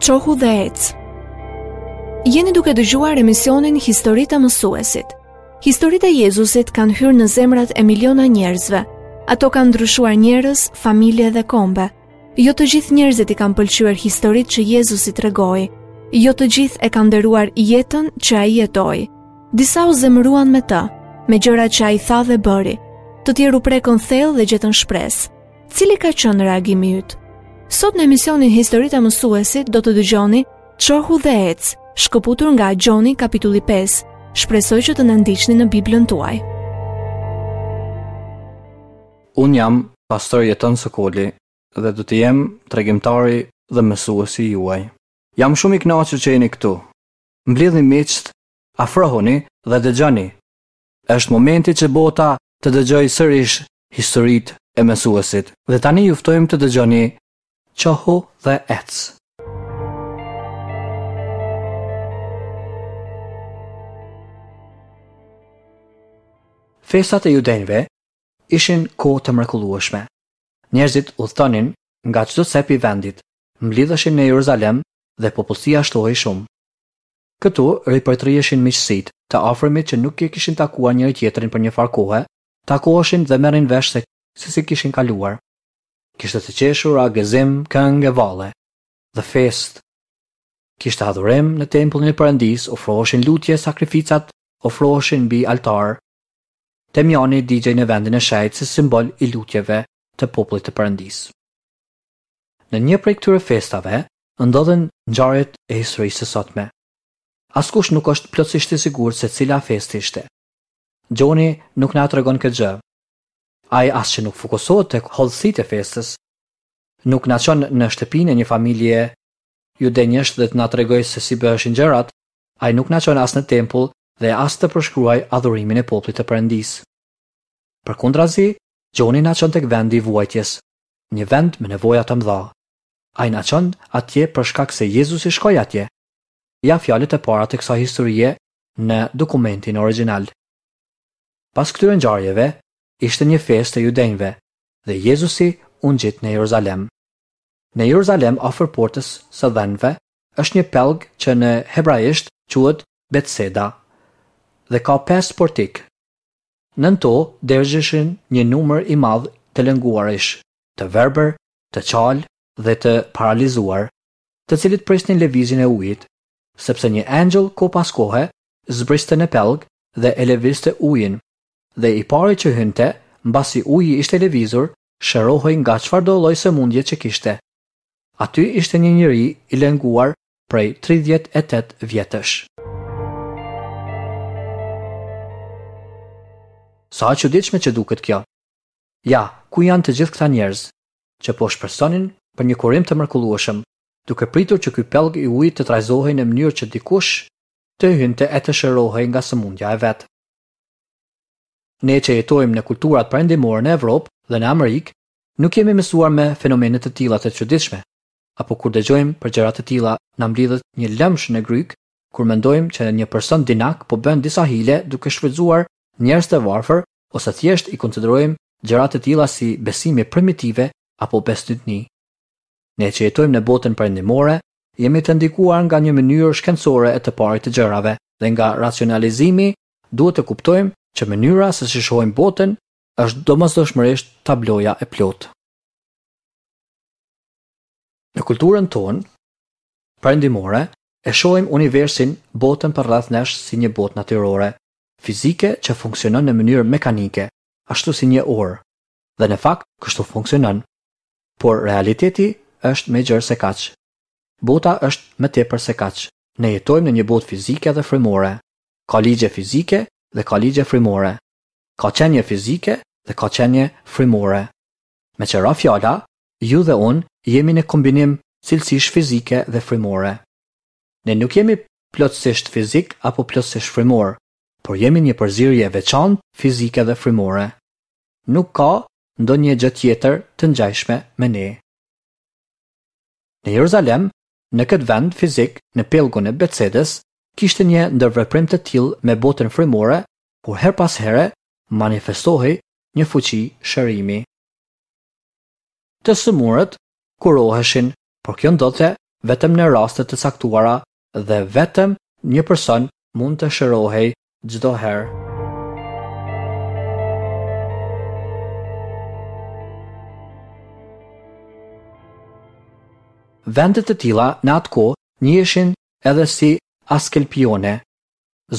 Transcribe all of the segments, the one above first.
Çohu dhe ec. Jeni duke dëgjuar emisionin Historitë e Mësuesit. Historitë e Jezusit kanë hyrë në zemrat e miliona njerëzve. Ato kanë ndryshuar njerëz, familje dhe kombe. Jo të gjithë njerëzit i kanë pëlqyer historitë që Jezusi tregoi. Jo të gjithë e kanë nderuar jetën që ai jetoi. Disa u zemëruan me të, me gjërat që ai tha dhe bëri. Të tjerë u prekën thellë dhe gjetën shpresë. Cili ka qenë reagimi yt? Sot në emisionin Historitë e Mësuesit do të dëgjoni Çohu dhe ec, shkëputur nga Gjoni kapitulli 5. Shpresoj që të na ndiqni në Biblën tuaj. Unë jam pastor Jeton Sokoli dhe do të jem tregimtari dhe mësuesi juaj. Jam shumë i kënaqur që jeni këtu. Mblidhni miqtë, afrohuni dhe dëgjoni. Është momenti që bota të dëgjojë sërish historitë e mësuesit. Dhe tani ju ftojmë të dëgjoni Çohu dhe ec. Festat e judenjve ishin kohë të mrekullueshme. Njerëzit udhëtonin nga çdo cep i vendit, mblidheshin në Jeruzalem dhe popullsia shtohej shumë. Këtu ripërtriheshin miqësitë, të afërmit që nuk e kishin takuar njëri-tjetrin për një farë kohe, takoheshin dhe merrnin vesh se se si kishin kaluar. Kishte të qeshura, gëzim, këngë e valle dhe festë. Kishte adhurim në tempullin e Perëndisë, ofroheshin lutje, sakrificat ofroheshin mbi altar. Temjani digjej në vendin e shenjtë si simbol i lutjeve të popullit të Perëndisë. Në një prej këtyre festave ndodhën ngjarjet e historisë së sotme. Askush nuk është plotësisht i sigurt se cila festë ishte. Gjoni nuk na tregon këtë gjë. Ai as që nuk fokusohet tek hollësitë e festës. Nuk na çon në shtëpinë e një familje judenjësh dhe të na tregojë se si bëheshin gjërat, ai nuk na çon as në tempull dhe as të përshkruajë adhurimin e popullit të Perëndisë. Përkundrazi, Gjoni na çon tek vendi i vuajtjes, një vend me nevoja të mëdha. Ai na çon atje për shkak se Jezusi shkoi atje. Ja fjalët e para të kësaj historie në dokumentin origjinal. Pas këtyre ngjarjeve, ishte një festë e judenjve dhe Jezusi u ngjit në Jeruzalem. Në Jeruzalem afër portës së dhenve është një pellg që në hebraisht quhet Betseda dhe ka pesë portikë. Nën to dergjeshin një numër i madh të lënguarish, të verbër, të çalë dhe të paralizuar, të cilët prisnin lëvizjen e ujit, sepse një engjëll kohë pas kohe zbriste në pellg dhe e lëvizte ujin, dhe i pari që hynte, mbasi uji ishte lëvizur, shërohej nga çfarëdo lloj sëmundje që kishte. Aty ishte një njeri i lënguar prej 38 vjetësh. Sa e çuditshme që duket kjo. Ja, ku janë të gjithë këta njerëz, që po shpresonin për një kurim të mrekullueshëm, duke pritur që ky pellg i ujit të trazohej në mënyrë që dikush të hynte e të shërohej nga sëmundja e vet. Ne që jetojmë në kulturat perëndimore në Evropë dhe në Amerikë, nuk jemi mësuar me fenomene të tilla të çuditshme, apo kur dëgjojmë për gjëra të tilla na mblidhet një lëmsh në grykë kur mendojmë që një person dinak po bën disa hile duke shfrytëzuar njerëz të varfër ose thjesht i konsiderojmë gjëra të tilla si besime primitive apo bestytni. Ne që jetojmë në botën perëndimore, jemi të ndikuar nga një mënyrë shkencore e të parit të gjërave dhe nga racionalizimi duhet të kuptojmë që mënyra se si shohim botën është domosdoshmërisht tabloja e plotë. Në kulturën tonë perëndimore e shohim universin, botën përreth nesh si një botë natyrore, fizike që funksionon në mënyrë mekanike, ashtu si një orë. Dhe në fakt kështu funksionon. Por realiteti është më i gjerë se kaq. Bota është më tepër se kaq. Ne jetojmë në një botë fizike dhe frymore. Ka ligje fizike dhe ka ligje frymore. Ka qenie fizike dhe ka qenie frymore. Meqë ra fjala, ju dhe unë jemi në kombinim cilësish fizike dhe frymore. Ne nuk jemi plotësisht fizik apo plotësisht frymor, por jemi një përzierje e veçantë fizike dhe frymore. Nuk ka ndonjë gjë tjetër të ngjashme me ne. Në Jeruzalem, në këtë vend fizik, në pellgun e Betsedës, kishte një ndërveprim të tillë me botën frymore, ku herë pas here manifestohej një fuqi shërimi. Të sëmurët kuroheshin, por kjo ndodhte vetëm në raste të caktuara dhe vetëm një person mund të shërohej çdo herë. Vende të tilla në atë kohë njiheshin edhe si askelpione,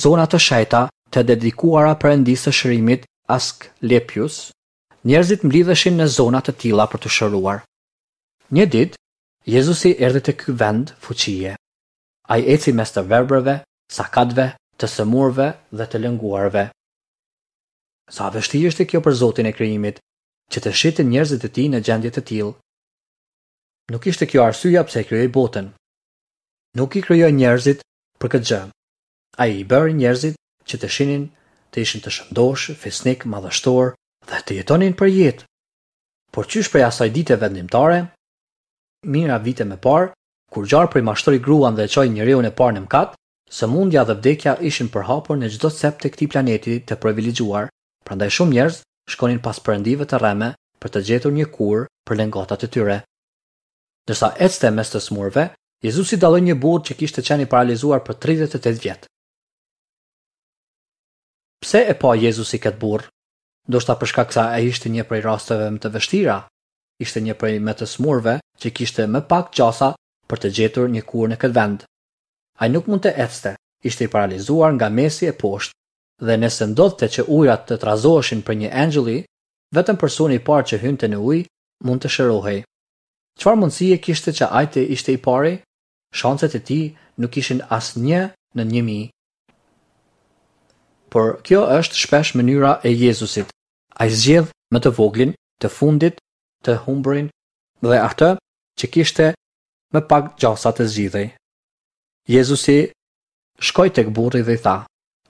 zona të shenjta të dedikuara perëndisë së shërimit Asklepius, njerëzit mblidheshin në zona të tilla për t'u shëruar. Një ditë, Jezusi erdhi te ky vend fuqie. Ai eci mes të verbërve, sakatëve, të sëmurëve dhe të lënguarve. Sa e vështirë ishte kjo për Zotin e krijimit, që të shihte njerëzit e tij në gjendje të tillë. Nuk ishte kjo arsyeja pse e krijoi botën. Nuk i krijoi njerëzit për këtë gjë. Ai i bëri njerëzit që të shinin, të ishin të shëndoshë, fisnikë, madhështorë dhe të jetonin për jetë. Por qysh prej asaj dite vendimtare, mijëra vite më parë, kur gjarpri mashtroi gruan dhe e çoi njeriun e parë në mëkat, sëmundja dhe vdekja ishin përhapur në çdo cep të këtij planeti të privilegjuar, prandaj shumë njerëz shkonin pas perëndive të rreme për të gjetur një kurë për lëngatat e tyre. Ndërsa ecte mes të sëmurëve, Jezusi dalloi një burrë që kishte qenë i paralizuar për 38 vjet. Pse e pa Jezusi këtë burrë? Ndoshta për shkak se ai ishte një prej rasteve më të vështira, ishte një prej më të sëmurëve që kishte më pak gjasa për të gjetur një kurë në këtë vend. Ai nuk mund të ecte, ishte i paralizuar nga mesi e poshtë dhe nëse ndodhte që ujërat të trazoheshin prej një engjëlli, vetëm personi i parë që hynte në ujë mund të shërohej. Çfarë mundësie kishte që ai të ishte i pari? Shanset e tij nuk ishin as një në 1000. Por kjo është shpesh mënyra e Jezusit. Ai zgjedh më të voglin, të fundit, të humburin dhe atë që kishte më pak gjasa të zgjidhej. Jezusi shkoi tek burri dhe i tha: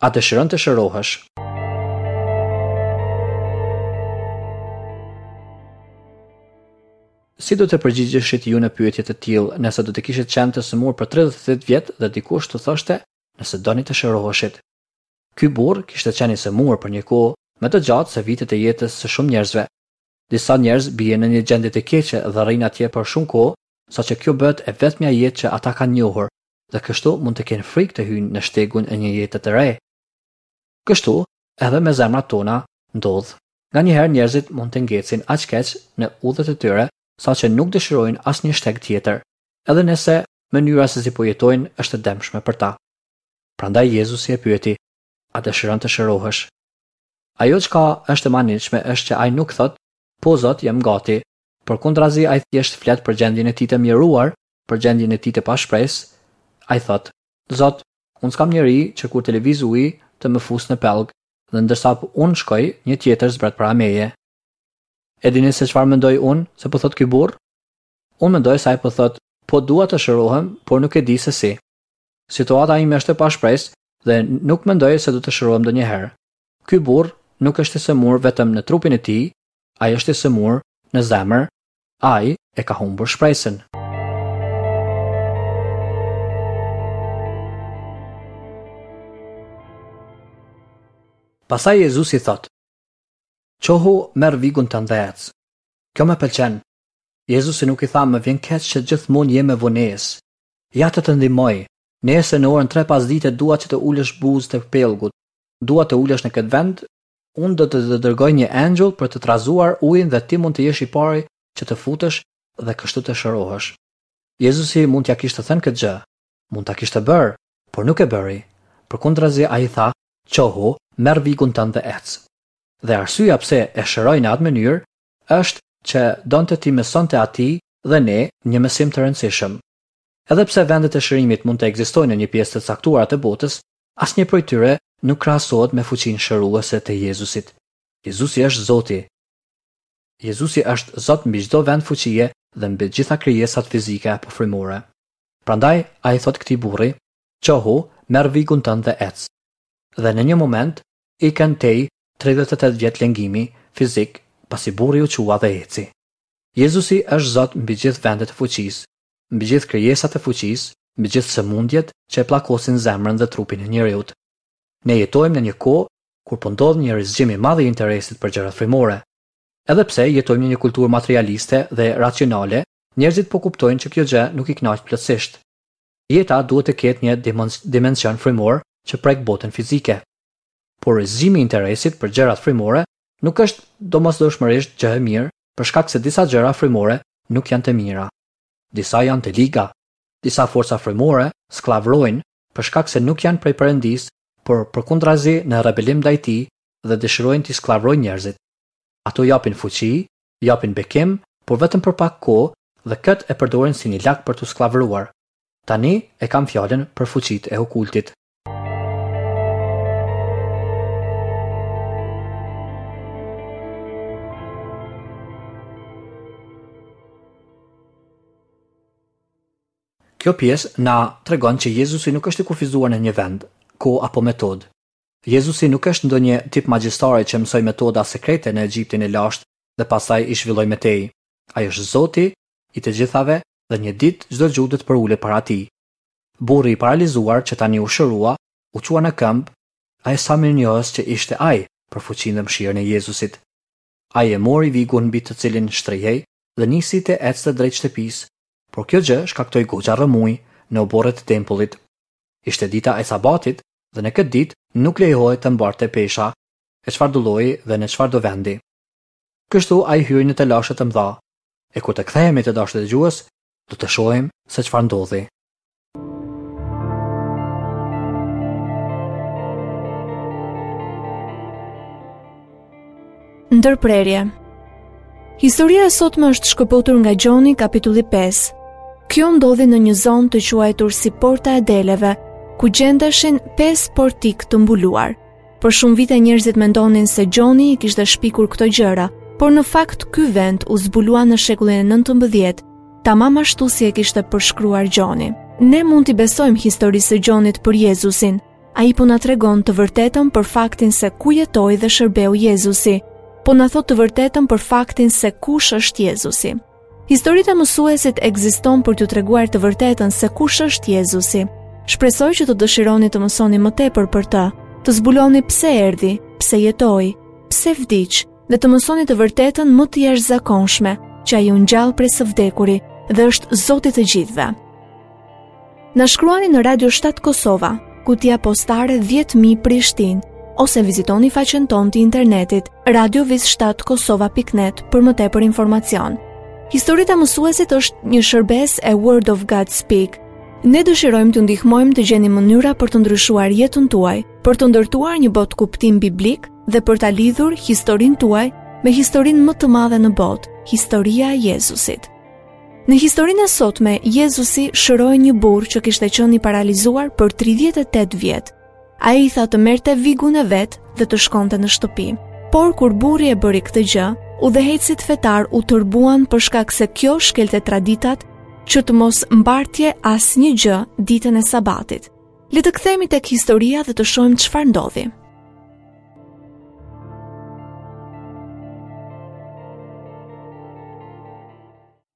A dëshiron të shërohesh? Si do të përgjigjeshit ju në pyetje të tillë nëse do të kishit qenë të sëmurë për 38 vjet dhe dikush t'ju thoshte nëse doni të shëroheshit? Ky burrë kishte qenë i sëmurë për një kohë më të gjatë se vitet e jetës së shumë njerëzve. Disa njerëz bien në një gjendje të keqe dhe rrinë atje për shumë kohë, saqë kjo bëhet e vetmja jetë që ata kanë njohur dhe kështu mund të kenë frikë të hyjnë në shtegun e një jete të re. Kështu, edhe me zemrat tona ndodh. Nganjëherë njerëzit mund të ngecin aq keq në udhët e tyre, saqë nuk dëshirojnë asnjë shteg tjetër, edhe nëse mënyra se si po jetojnë është e dëmshme për ta. Prandaj Jezusi e pyeti, A dëshiron të shërohesh? Ajo çka është e mahnitshme është që ai nuk thotë, Po Zot, jam gati. Përkundrazi ai thjesht flet për gjendjen e tij të mjeruar, për gjendjen e tij të pashpresë. Ai thotë, Zot, unë s'kam njeri që kur të lëvizë uji të më fusë në pellg, dhe ndërsa unë shkoj, një tjetër zbret para meje. E dini se çfarë mendoj unë se po thotë ky burrë? Unë mendoj se ai po thotë, po dua të shërohem, por nuk e di se si. Situata ime është e pashpresë dhe nuk mendoj se do të shërohem ndonjëherë. Ky burrë nuk është i sëmurë vetëm në trupin e tij, ai është i sëmurë në zemër, ai e ka humbur shpresën. Pastaj Jezusi thotë: Çohu, merr vigun tënd dhe ec. Kjo më pëlqen. Jezusi nuk i tha më vjen keq që gjithmonë je me vonesë. Ja të të ndihmoj. Nesër në orën 3 pasdite dua që të ulesh buzë të pellgut. Dua të ulesh në këtë vend. Unë do të të dërgoj një engjëll për të trazuar ujin dhe ti mund të jesh i pari që të futesh dhe kështu të shërohesh. Jezusi mund t'ia kishte thënë këtë gjë. Mund ta kishte bërë, por nuk e bëri. Përkundrazi ai tha, Çohu, merr vigun tënd dhe ec. Dhe arsyeja pse e shëroi në atë mënyrë është që donte t'i mësonte atij dhe ne një mësim të rëndësishëm. Edhe pse vendet e shërimit mund të ekzistojnë në një pjesë të caktuar të botës, asnjë prej tyre nuk krahasohet me fuqinë shëruese të Jezusit. Jezusi është Zoti. Jezusi është Zot mbi çdo vend fuqie dhe mbi të gjitha krijesat fizike apo frymore. Prandaj ai i thotë këtij burri, Çohu, merr vigun tënd dhe ec. Dhe në një moment, ikën tej 38 vjet lëngimi fizik, pasi burri u çua dhe eci. Jezusi është Zot mbi gjithë vendet e fuqisë, mbi gjithë krijesat e fuqisë, mbi gjithë sëmundjet që e pllakosin zemrën dhe trupin e njeriut. Ne jetojmë në një kohë kur po ndodh një rizgjim i madh i interesit për gjërat frymore. Edhe pse jetojmë në një kulturë materialiste dhe racionale. Njerëzit po kuptojnë që kjo gjë nuk i kënaq plotësisht. Jeta duhet të ketë një dimension frymor që prek botën fizike. Por zgjimi i interesit për gjërat frymore nuk është domosdoshmërisht gjë e mirë për shkak se disa gjëra frymore nuk janë të mira. Disa janë të liga. Disa forca frymore skllavërojnë për shkak se nuk janë prej Perëndisë, por përkundrazi në rebelim ndaj Tij dhe dëshirojnë t'i skllavërojnë njerëzit. Ato japin fuqi, japin bekim, por vetëm për pak kohë dhe këtë e përdorin si një lak për t'u skllavëruar. Tani e kam fjalën për fuqitë e okultit. Kjo pjesë na tregon që Jezusi nuk është i kufizuar në një vend, kohë apo metodë. Jezusi nuk është ndonjë tip magjistari që mësoi metoda sekrete në Egjiptin e lashtë dhe pastaj i zhvilloi më tej. Ai është Zoti i të gjithave dhe një ditë çdo gjuhë do të përulet para tij. Burri i paralizuar që tani u shërua, u çua në këmbë, ai sa mirënjohës që ishte ai për fuqinë dhe mëshirën e Jezusit. Ai e mori vigun mbi të cilin shtrihej dhe nisi të ecte drejt shtëpisë, por kjo gjë shkaktoi goxha rrëmujë në oborret e tempullit. Ishte dita e Sabatit dhe në këtë ditë nuk lejohej të mbarte pesha e çfarëdo lloji dhe në çfarëdo vendi. Kështu ai hyri në telashe të mëdha. E kur të kthehemi të dashur dëgjues, do të shohim se çfarë ndodhi. Ndërprerje. Historia e sotme është shkëputur nga Gjoni kapitulli 5. Kjo ndodhi në një zonë të quajtur si Porta e Deleve, ku gjendeshin 5 portikë të mbuluar. Për shumë vite njerëzit mendonin se Gjoni i kishte shpikur këto gjëra, por në fakt ky vend u zbulua në shekullin e 19, tamam ashtu si e kishte përshkruar Gjoni. Ne mund t'i besojmë historisë së Gjonit për Jezusin. Ai po na tregon të vërtetën për faktin se ku jetoi dhe shërbeu Jezusi. Po na thotë të vërtetën për faktin se kush është Jezusi. Historitë e mësuesit ekziston për t'ju treguar të vërtetën se kush është Jezusi. Shpresoj që të dëshironi të mësoni më tepër për të, të zbuloni pse erdhi, pse jetoi, pse vdiq dhe të mësoni të vërtetën më të jashtëzakonshme, që ai u ngjall prej së vdekuri dhe është Zoti i të gjithëve. Na shkruani në Radio 7 Kosova, kutia postare 10000 Prishtinë ose vizitoni faqen tonë të internetit radiovis7kosova.net për më tepër informacion. Historitë e mësuesit është një shërbesë e Word of God Speak. Ne dëshirojmë t'ju ndihmojmë të gjeni mënyra për të ndryshuar jetën tuaj, për të ndërtuar një botëkuptim biblik dhe për ta lidhur historinë tuaj me historinë më të madhe në botë, historia e Jezusit. Në historinë e sotme, Jezusi shëroi një burrë që kishte qenë i paralizuar për 38 vjet. Ai i tha të merrte vigun e vet dhe të shkonte në shtëpi. Por kur burri e bëri këtë gjë, udhëheqësit fetarë u tërbuan për shkak se kjo shkelte traditat që të mos mbartje asnjë gjë ditën e sabatit. Le të kthehemi tek historia dhe të shohim çfarë ndodhi.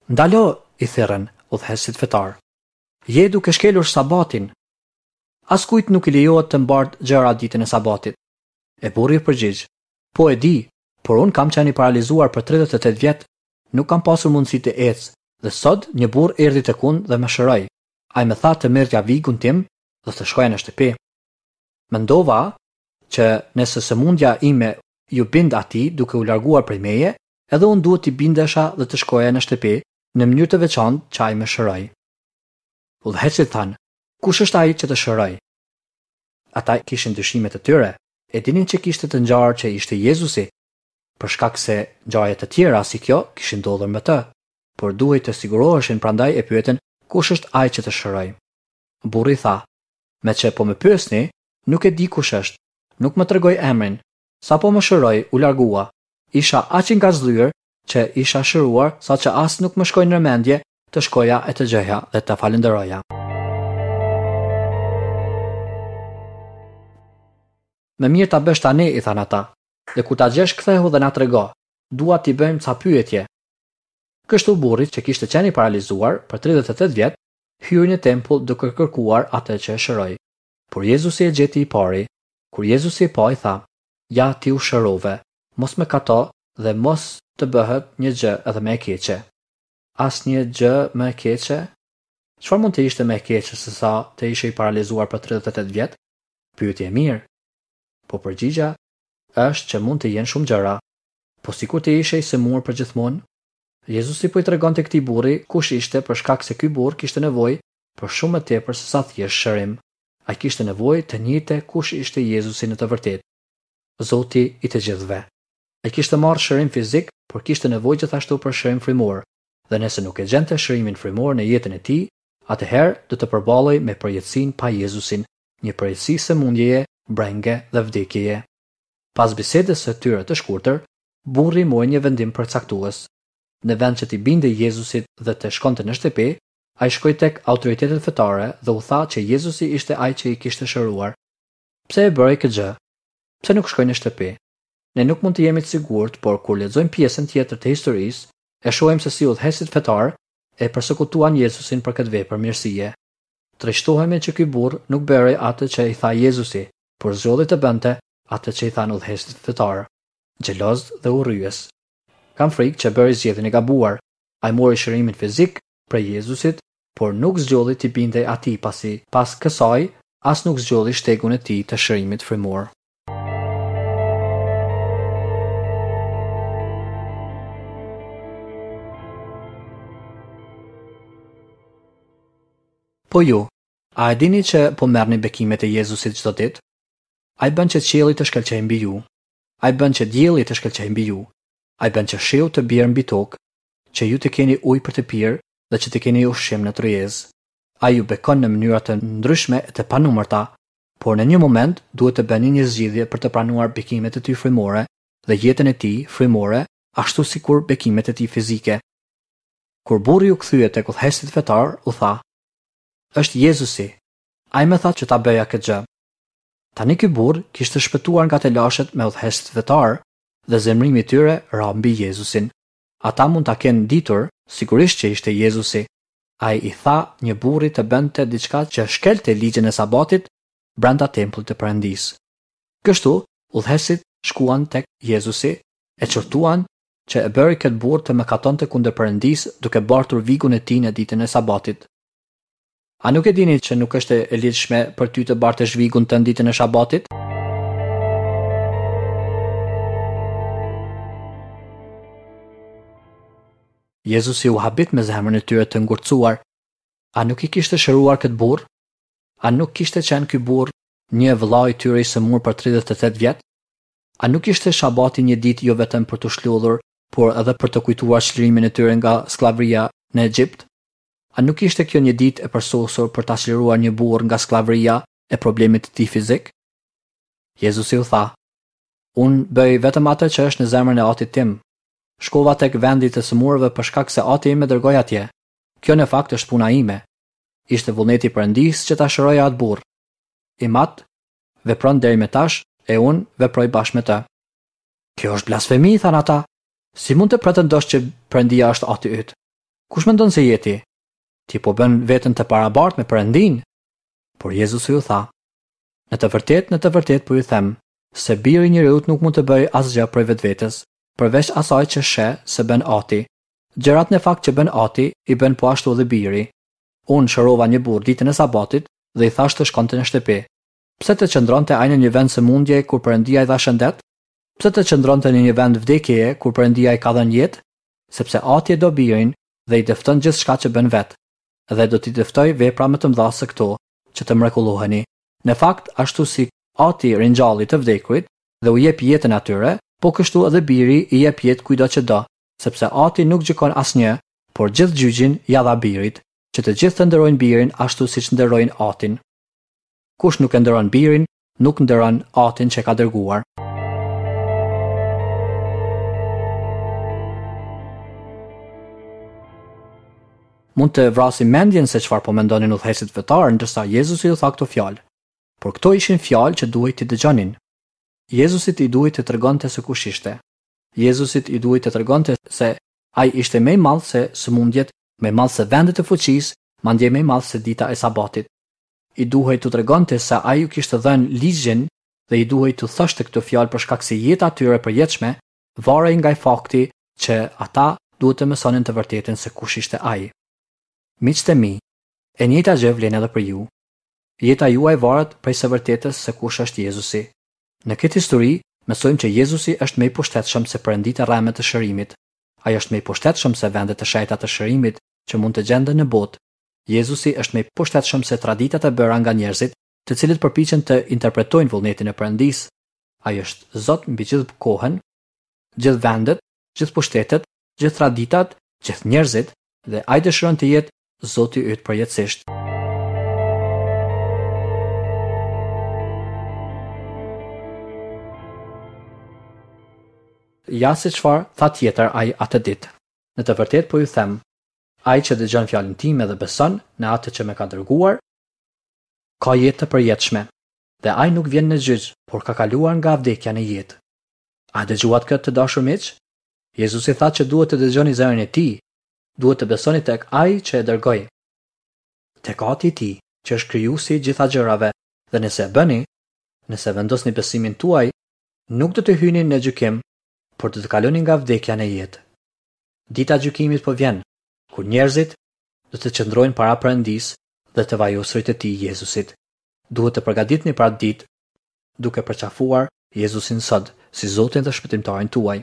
Ndalo, i thirrën udhëheqësit fetarë. Je duke shkelur Sabatin. Askujt nuk i lejohet të mbartë gjëra ditën e Sabatit. E burri u përgjigj, Po e di, por unë kam qenë i paralizuar për 38 vjet, nuk kam pasur mundësi të ec, dhe sot një burrë erdhi tek unë dhe më shëroi. Ai më tha të merrja vigun tim dhe të shkoja në shtëpi. Mendova që nëse sëmundja ime iu bind atij duke u larguar prej meje, edhe unë duhet t'i bindesha dhe të shkoja në shtëpi në mënyrë të veçantë që ai më shëroi. Udhëheqësit thanë, Kush është ai që të shëroi? Ata kishin dyshimet e tyre, e dinin që kishte të ngjarë që ishte Jezusi, për shkak se ngjarje të tjera si kjo kishin ndodhur me të. Por duhej të siguroheshin prandaj e pyetën kush është ai që të shëroi. Burri tha, Meqë po më pyesni, nuk e di kush është, nuk më tregoi emrin. Sapo më shëroi, u largua. Isha aq i ngazëllyer që isha shëruar saqë as nuk më shkoi në mendje të shkoja e të gjeja dhe ta falënderoja. Më mirë ta bësh tani, i thanë ata. Dhe kur ta gjesh kthehu dhe na trego. Dua t'i bëjmë ca pyetje. Kështu burri që kishte qenë i paralizuar për 38 vjet, hyri në tempull duke kërkuar atë që e shëroi. Por Jezusi e gjeti i pari. Kur Jezusi e pa i tha, Ja ti u shërove, mos mëkato dhe mos të bëhet një gjë edhe më e keqe. asnjë gjë më e keqe? Çfarë mund të ishte më e keqe se sa të ishe i paralizuar për 38 vjet? Pyetje e mirë. Po përgjigja është që mund të jenë shumë gjëra. Po sikur të ishe i sëmurë përgjithmonë? Jezusi po i tregonte këtij burri kush ishte për shkak se ky burrë kishte nevojë për shumë më tepër se sa thjesht shërim. Ai kishte nevojë të njihte kush ishte Jezusi në të vërtetë, Zoti i të gjithëve. Ai kishte marrë shërim fizik, por kishte nevojë gjithashtu për shërim frymor, dhe nëse nuk e gjente shërimin frymor në jetën e tij, atëherë do të përballej me përjetësinë pa Jezusin, një përjetësi sëmundjeje, brenge dhe vdekjeje. Pas bisedës së tyre të shkurtër, burri mori një vendim përcaktues. Në vend që t'i bindej Jezusit dhe të shkonte në shtëpi, ai shkoi tek autoritetet fetare dhe u tha që Jezusi ishte ai që i kishte shëruar. Pse e bëri këtë gjë? Pse nuk shkoi në shtëpi? Ne nuk mund të jemi të sigurt, por kur lexojmë pjesën tjetër të historisë, e shohim se si udhëheqësit fetarë e persekutuan Jezusin për këtë vepër mirësie. Trishtohemi që ky burrë nuk bëri atë që i tha Jezusi, por zgjodhi të bënte atë që i thanë udhëheqësit fetarë, xheloz dhe urryes. Kam frikë që bëri zgjedhjen e gabuar. Ai mori shërimin fizik prej Jezusit, por nuk zgjodhi t'i bindej atij pasi pas kësaj as nuk zgjodhi shtegun e tij të shërimit frymor. Po ju, a e dini që po merrni bekimet e Jezusit çdo ditë? Ai bën që qielli të shkëlqejë mbi ju. Ai bën që dielli të shkëlqejë mbi ju. Ai bën që shiu të bjerë mbi tokë, që ju të keni ujë për të pirë dhe që të keni ushqim në tryezë. Ai ju bekon në mënyra të ndryshme e të panumërta, por në një moment duhet të bëni një zgjidhje për të pranuar bekimet e tij frymore dhe jetën e tij frymore ashtu sikur bekimet e tij fizike. Kur burri u kthye tek udhëheqësit fetarë, u tha, Është Jezusi. Ai më tha që ta bëja këtë gjë. Tani ky burrë kishte shpëtuar nga telashet me udhëheqësit fetarë dhe zemërimi i tyre ra mbi Jezusin. Ata mund ta kenë ditur, sigurisht që ishte Jezusi. Ai i tha një burri të bënte diçka që shkelte ligjin e Sabatit brenda tempullit të Perëndisë. Kështu, udhëheqësit shkuan tek Jezusi, e qortuan që e bëri këtë burrë të mëkatonte kundër Perëndisë duke bartur vigun e tij në ditën e Sabatit. A nuk e dini që nuk është e ligjshme për ty të bartësh vigun tënd ditën e Shabatit? Jezusi u habit me zemrën e tyre të ngurtësuar. A nuk i kishte shëruar këtë burrë? A nuk kishte qenë ky burrë një vëlla i tyre i sëmurë për 38 vjet? A nuk ishte Shabati një ditë jo vetëm për t'u shlodhur, por edhe për të kujtuar çlirimin e tyre nga skllavëria në Egjipt? A nuk ishte kjo një ditë e përsosur për ta çliruar një burrë nga skllavëria e problemit të tij fizik? Jezusi u tha, Unë bëj vetëm atë që është në zemrën e Atit tim. Shkova tek vendi i të sëmurëve për shkak se Ati im më dërgoi atje. Kjo në fakt është puna ime. Ishte vullneti i Perëndisë që ta shëroja atë burrë. Im Atë vepron deri më tash e unë veproj bashkë me të. Kjo është blasfemi, thanë ata. Si mund të pretendosh që Perëndia është Ati yt? Kush mendon se je ti? Ti po bën veten të barabartë me Perëndinë. Por Jezusi u tha: Në të vërtetë, në të vërtetë po ju them, se Biri i njeriut nuk mund të bëjë asgjë prej vetvetes, përveç asaj që sheh se bën Ati. Gjërat në fakt që bën Ati, i bën po ashtu edhe Biri. Unë shërova një burrë ditën e Sabatit dhe i thashë të shkonte në shtëpi. Pse të qëndronte ai në një vend sëmundjeje kur Perëndia i dha shëndet? Pse të qëndronte në një vend vdekjeje kur Perëndia i ka dhënë jetë? Sepse Ati e do Birin dhe i dëfton gjithçka që bën vetë, dhe do t'i dëftojë vepra më të mëdha se këto, që të mrekulloheni. Në fakt, ashtu si Ati ringjalli të vdekurit dhe u jep jetën atyre, po kështu edhe Biri i jep jetë kujtdo që do, sepse Ati nuk gjykon asnjë, por gjithë gjyqin ia dha Birit, që të gjithë të nderojnë Birin ashtu siç nderojnë Atin. Kush nuk e nderon Birin, nuk nderon Atin që e ka dërguar. Mund të vrasim mendjen se çfarë po mendonin udhëheqësit fetarë ndërsa Jezusi u tha këto fjalë. Por këto ishin fjalë që duhej t'i dëgjonin. Jezusit i duhej të tregonte se kush ishte. Jezusit i duhej të tregonte se ai ishte më i madh se sëmundjet, më i madh se vendet e fuqisë, madje më i madh se dita e Sabatit. I duhej t'u tregonte se ai u kishte dhënë ligjin dhe i duhej t'u thoshte këto fjalë për shkak se jeta e tyre e përjetshme varej nga fakti që ata duhet të mësonin të vërtetën se kush ishte ai. Miqtë e mi, e njëjta gjë vlen edhe për ju. Jeta juaj varet prej së vërtetës se kush është Jezusi. Në këtë histori, mësojmë që Jezusi është më i pushtetshëm se perënditë e rreme të shërimit. Ai është më i pushtetshëm se vendet e shenjta të shërimit që mund të gjenden në botë. Jezusi është më i pushtetshëm se traditat e bëra nga njerëzit, të cilët përpiqen të interpretojnë vullnetin e Perëndisë. Ai është Zot mbi gjithë kohën, gjithë vendet, gjithë pushtetet, gjithë traditat, gjithë njerëzit dhe ai dëshiron të jetë Zoti yt përjetësisht. Ja se çfarë tha tjetër ai atë ditë. Në të vërtetë po ju them, ai që dëgjon fjalën time dhe beson në atë që më ka dërguar, ka jetë të përjetshme, dhe ai nuk vjen në gjyq, por ka kaluar nga vdekja në jetë. A dëgjuat këtë të dashur miq? Jezusi tha që duhet të dëgjoni zërin e tij, duhet të besoni tek ai që e dërgoi, tek Ati i tij, që është krijuesi i gjitha gjërave, dhe nëse e bëni, nëse vendosni besimin tuaj, nuk do të hyni në gjykim, por do të kaloni nga vdekja në jetë. Dita e gjykimit po vjen, kur njerëzit do të qëndrojnë para Perëndisë dhe të vajosurit të tij Jezusit. Duhet të përgatiteni për atë ditë, duke përqafuar Jezusin sot si Zotin dhe Shpëtimtarin tuaj.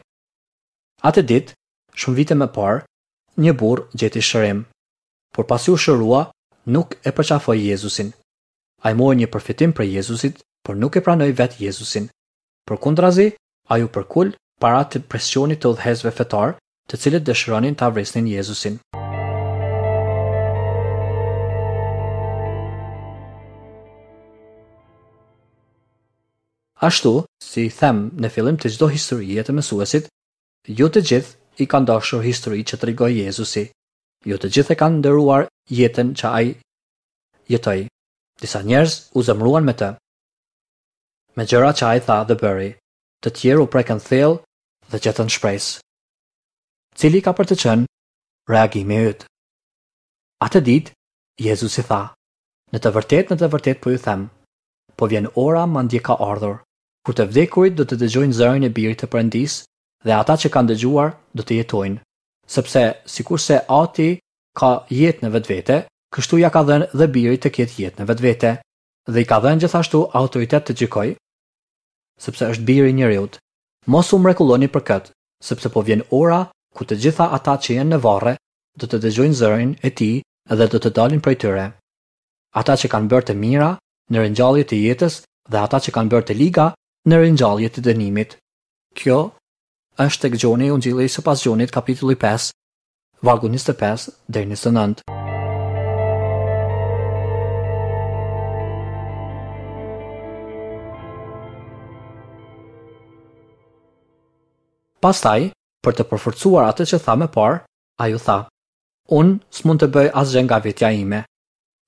Atë ditë, shumë vite më parë, një burrë gjeti shërim, por pasi u shërua, nuk e përqafoi Jezusin. Ai mori një përfitim prej Jezusit, por nuk e pranoi vetë Jezusin. Përkundrazi, ai u përkul para të presionit të udhëheqësve fetarë, të cilët dëshironin ta vrisnin Jezusin. Ashtu, si them në fillim të çdo historie të mësuesit, jo të gjithë i kanë dashur historitë që tregoi Jezusi. Jo të gjithë e kanë nderuar jetën që ai jetoi. Disa njerëz u zemëruan me të, me gjëra që ai tha dhe bëri. Të tjerë u prekën thellë dhe gjetën shpresë. Cili ka për të qenë reagimi yt? Atë ditë, Jezusi tha, Në të vërtetë, në të vërtetë po ju them, po vjen ora madje ka ardhur, kur të vdekurit do të dëgjojnë zërin e Birit të Perëndisë dhe ata që kanë dëgjuar do të jetojnë. Sepse, sikurse Ati ka jetë në vetvete, kështu ia ka dhënë dhe Birit të ketë jetë në vetvete. Dhe i ka dhënë gjithashtu autoritet të gjykojë, sepse është Biri i njeriut. Mos u mrekulloni për këtë, sepse po vjen ora ku të gjitha ata që janë në varre do të dëgjojnë zërin e tij dhe do të dalin prej tyre. Ata që kanë bërë të mira në ringjallje të jetës dhe ata që kanë bërë të liga në ringjallje të dënimit. Kjo është tek Gjoni Ungjilli sipas Gjonit kapitulli 5, vargu 25 deri 29. Pastaj, për të përforcuar atë që tha më parë, ai u tha: Unë s'mund të bëj asgjë nga vetja ime.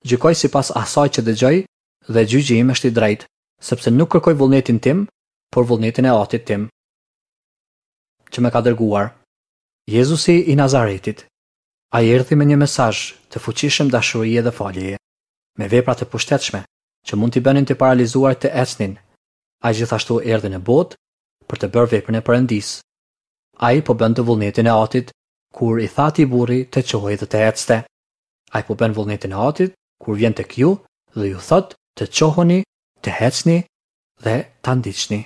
Gjykoj sipas asaj që dëgjoj dhe gjyqi im është i drejtë, sepse nuk kërkoj vullnetin tim, por vullnetin e Atit tim, që më ka dërguar. Jezusi i Nazaretit. Ai erdhi me një mesazh të fuqishëm dashurie dhe faljeje, me vepra të pushtetshme që mund t'i bënin të paralizuarit të ecnin. Ai gjithashtu erdhi në botë për të bërë veprën e Perëndisë. Ai po bënte vullnetin e Atit kur i tha atij burri të çohej dhe të ecte. Ai po bën vullnetin e Atit kur vjen tek ju dhe ju thotë të çoheni, të ecni dhe ta ndiqni.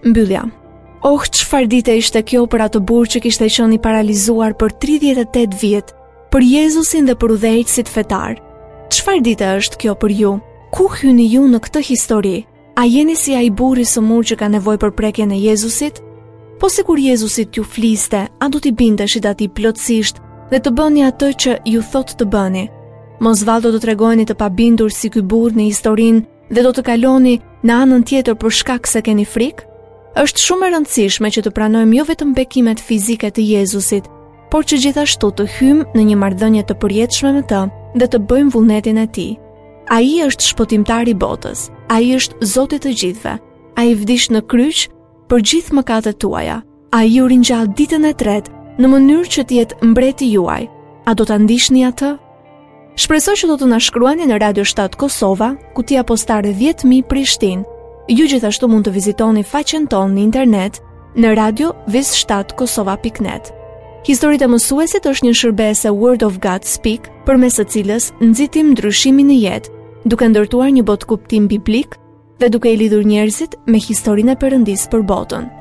Mbyllja. Oh, çfarë dite ishte kjo për atë burrë që kishte qenë i paralizuar për 38 vjet, për Jezusin dhe për udhëheqësit fetarë. Çfarë dite është kjo për ju? Ku hyni ju në këtë histori? A jeni si ai burrë i sëmurë që ka nevojë për prekjen e Jezusit? Po sikur Jezusi t'ju fliste, a do t'i bindeshit atij plotësisht dhe të bëni atë që ju thotë të bëni? Mos vallë do të tregoheni të pabindur si ky burrë në historinë dhe do të kaloni në anën tjetër për shkak se keni frikë? Është shumë e rëndësishme që të pranojmë jo vetëm bekimet fizike të Jezusit, por që gjithashtu të hyjmë në një marrëdhënie të përjetshme me të dhe të bëjmë vullnetin e tij. Ai është shpëtimtari i botës. Ai është Zoti i të gjithëve. Ai vdiq në kryq për gjithë mëkatet tuaja. Ai u ringjall ditën e tretë në mënyrë që të jetë mbreti juaj. A do ta ndiqni atë? Shpresoj që do të na shkruani në Radio 7 Kosova, kutia postare 10000 Prishtinë. Ju gjithashtu mund të vizitoni faqen tonë në internet në radio 7 kosova.net. Historitë e mësuesit është një shërbesë e Word of God Speak, përmes së cilës nxitim ndryshimin në jetë, duke ndërtuar një botëkuptim biblik dhe duke i lidhur njerëzit me historinë e Perëndisë për botën.